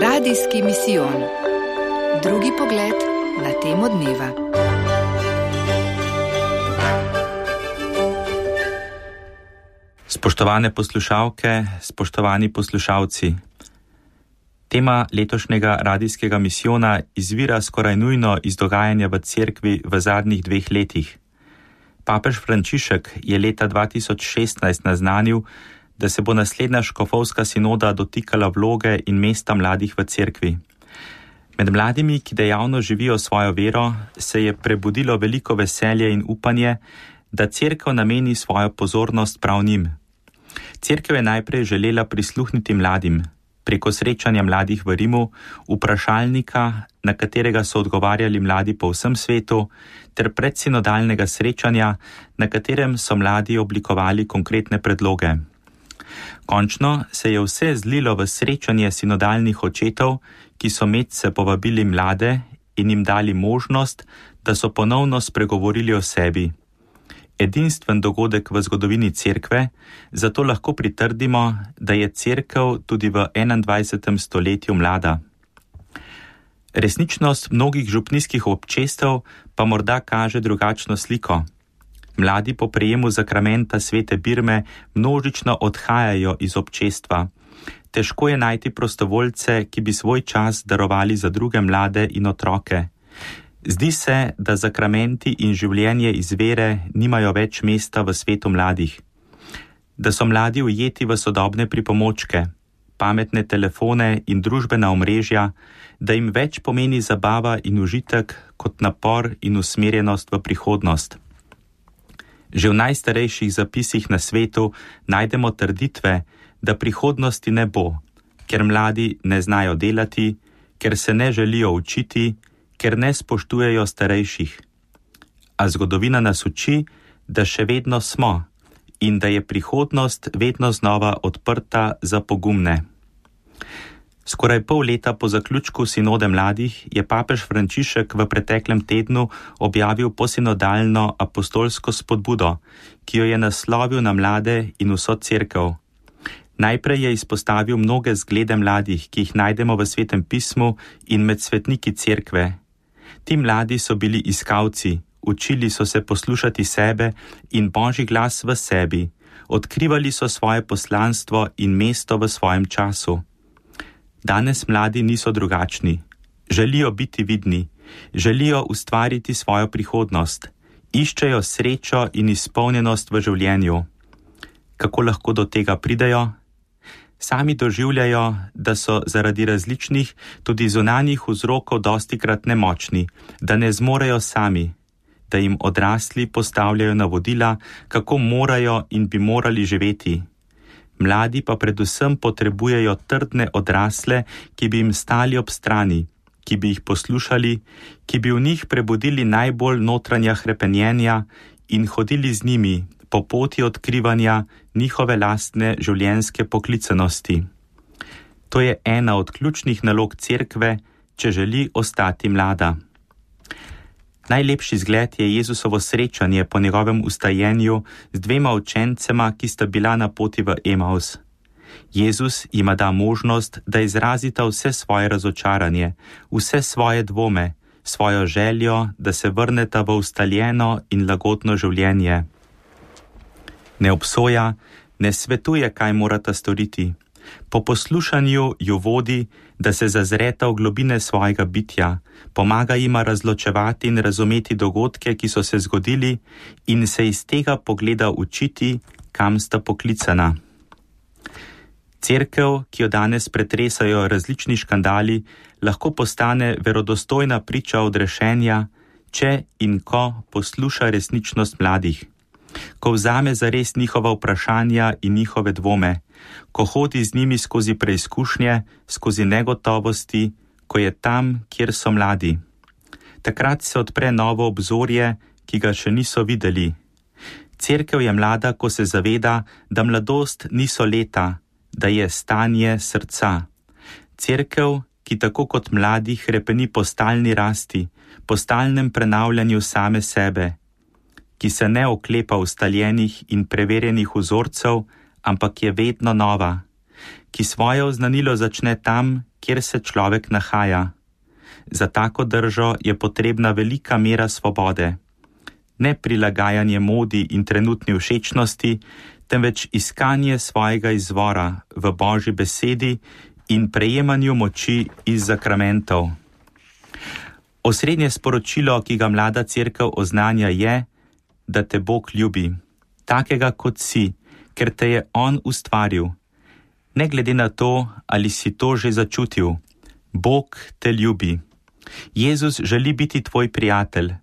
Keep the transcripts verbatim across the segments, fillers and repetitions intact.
Radijski misijon. Drugi pogled na temo dneva. Spoštovane poslušalke, spoštovani poslušalci. Tema letošnjega radijskega misijona izvira skoraj nujno iz dogajanja v cerkvi v zadnjih dveh letih. Papež Frančišek je leta dva tisoč šestnajst naznanil, da se bo naslednja škofovska sinoda dotikala vloge in mesta mladih v cerkvi. Med mladimi, ki dejavno živijo svojo vero, se je prebudilo veliko veselje in upanje, da cerkev nameni svojo pozornost prav njim. Cerkev je najprej želela prisluhniti mladim, preko srečanja mladih v Rimu, vprašalnika, na katerega so odgovarjali mladi po vsem svetu, ter predsinodalnega srečanja, na katerem so mladi oblikovali konkretne predloge. Končno se je vse zlilo v srečanje sinodalnih očetov, ki so medse povabili mlade in jim dali možnost, da so ponovno spregovorili o sebi. Edinstven dogodek v zgodovini cerkve, zato lahko pritrdimo, da je cerkev tudi v enaindvajsetem stoletju mlada. Resničnost mnogih župnijskih občestev pa morda kaže drugačno sliko. Mladi po prejemu zakramenta svete birme množično odhajajo iz občestva. Težko je najti prostovoljce, ki bi svoj čas darovali za druge mlade in otroke. Zdi se, da zakramenti in življenje iz vere nimajo več mesta v svetu mladih. Da so mladi ujeti v sodobne pripomočke, pametne telefone in družbena omrežja, da jim več pomeni zabava in užitek kot napor in usmerjenost v prihodnost. Že v najstarejših zapisih na svetu najdemo trditve, da prihodnosti ne bo, ker mladi ne znajo delati, ker se ne želijo učiti, ker ne spoštujejo starejših. A zgodovina nas uči, da še vedno smo in da je prihodnost vedno znova odprta za pogumne. Skoraj pol leta po zaključku sinode mladih je papež Frančišek v preteklem tednu objavil posinodalno apostolsko spodbudo, ki jo je naslovil na mlade in vso cerkev. Najprej je izpostavil mnoge zglede mladih, ki jih najdemo v Svetem pismu in med svetniki cerkve. Ti mladi so bili iskalci, učili so se poslušati sebe in Božji glas v sebi, odkrivali so svoje poslanstvo in mesto v svojem času. Danes mladi niso drugačni. Želijo biti vidni, želijo ustvariti svojo prihodnost, iščejo srečo in izpolnjenost v življenju. Kako lahko do tega pridejo? Sami doživljajo, da so zaradi različnih, tudi zunanjih vzrokov dostikrat nemočni, da ne zmorejo sami, da jim odrasli postavljajo navodila, kako morajo in bi morali živeti. Mladi pa predvsem potrebujejo trdne odrasle, ki bi jim stali ob strani, ki bi jih poslušali, ki bi v njih prebudili najbolj notranja hrepenjenja in hodili z njimi po poti odkrivanja njihove lastne življenjske poklicanosti. To je ena od ključnih nalog cerkve, če želi ostati mlada. Najlepši zgled je Jezusovo srečanje po njegovem ustajenju z dvema učencema, ki sta bila na poti v Emaus. Jezus jima da možnost, da izrazita vse svoje razočaranje, vse svoje dvome, svojo željo, da se vrneta v ustaljeno in lagodno življenje. Ne obsoja, ne svetuje, kaj morata storiti. Po poslušanju ju vodi, da se zazreta v globine svojega bitja, pomaga jima razločevati in razumeti dogodke, ki so se zgodili, in se iz tega pogleda učiti, kam sta poklicana. Cerkev, ki jo danes pretresajo različni škandali, lahko postane verodostojna priča odrešenja, če in ko posluša resničnost mladih. Ko vzame zares njihova vprašanja in njihove dvome, ko hodi z njimi skozi preizkušnje, skozi negotovosti, ko je tam, kjer so mladi. Takrat se odpre novo obzorje, ki ga še niso videli. Cerkev je mlada, ko se zaveda, da mladost niso leta, da je stanje srca. Cerkev, ki tako kot mladi hrepeni po stalni rasti, po stalnem prenavljanju same sebe, ki se ne oklepa ustaljenih in preverjenih vzorcev, ampak je vedno nova, ki svoje oznanilo začne tam, kjer se človek nahaja. Za tako držo je potrebna velika mera svobode. Ne prilagajanje modi in trenutni všečnosti, temveč iskanje svojega izvora v Božji besedi in prejemanju moči iz zakramentov. Osrednje sporočilo, ki ga mlada cerkev oznanja, je, da te Bog ljubi, takega kot si, ker te je On ustvaril. Ne glede na to, ali si to že začutil, Bog te ljubi. Jezus želi biti tvoj prijatelj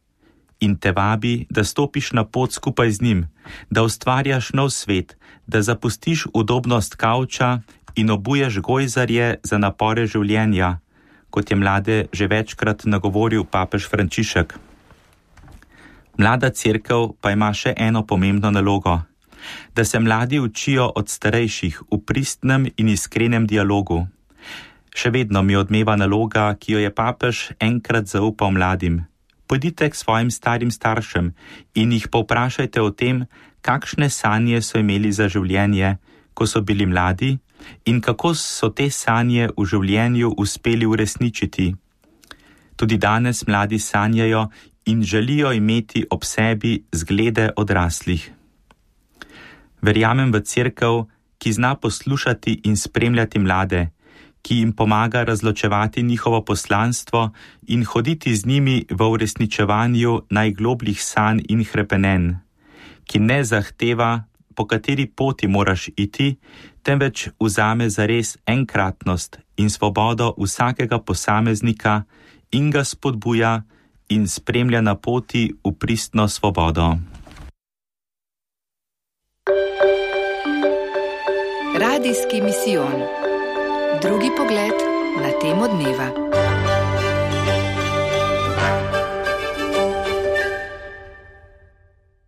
in te vabi, da stopiš na pot skupaj z njim, da ustvarjaš nov svet, da zapustiš udobnost kavča in obuješ gojzarje za napore življenja, kot je mlade že večkrat nagovoril papež Frančišek. Mlada cerkev pa ima še eno pomembno nalogo, da se mladi učijo od starejših v pristnem in iskrenem dialogu. Še vedno mi odmeva naloga, ki jo je papež enkrat zaupal mladim. Pojdite k svojim starim staršem in jih povprašajte o tem, kakšne sanje so imeli za življenje, ko so bili mladi, in kako so te sanje v življenju uspeli uresničiti. Tudi danes mladi sanjajo in želijo imeti ob sebi zglede odraslih. Verjamem v cerkev, ki zna poslušati in spremljati mlade, ki jim pomaga razločevati njihovo poslanstvo in hoditi z njimi v uresničevanju najglobljih sanj in hrepenenj, ki ne zahteva, po kateri poti moraš iti, temveč vzame zares enkratnost in svobodo vsakega posameznika in ga spodbuja in spremlja na poti v pristno svobodo. Radijski misijon. Drugi pogled na temo dneva.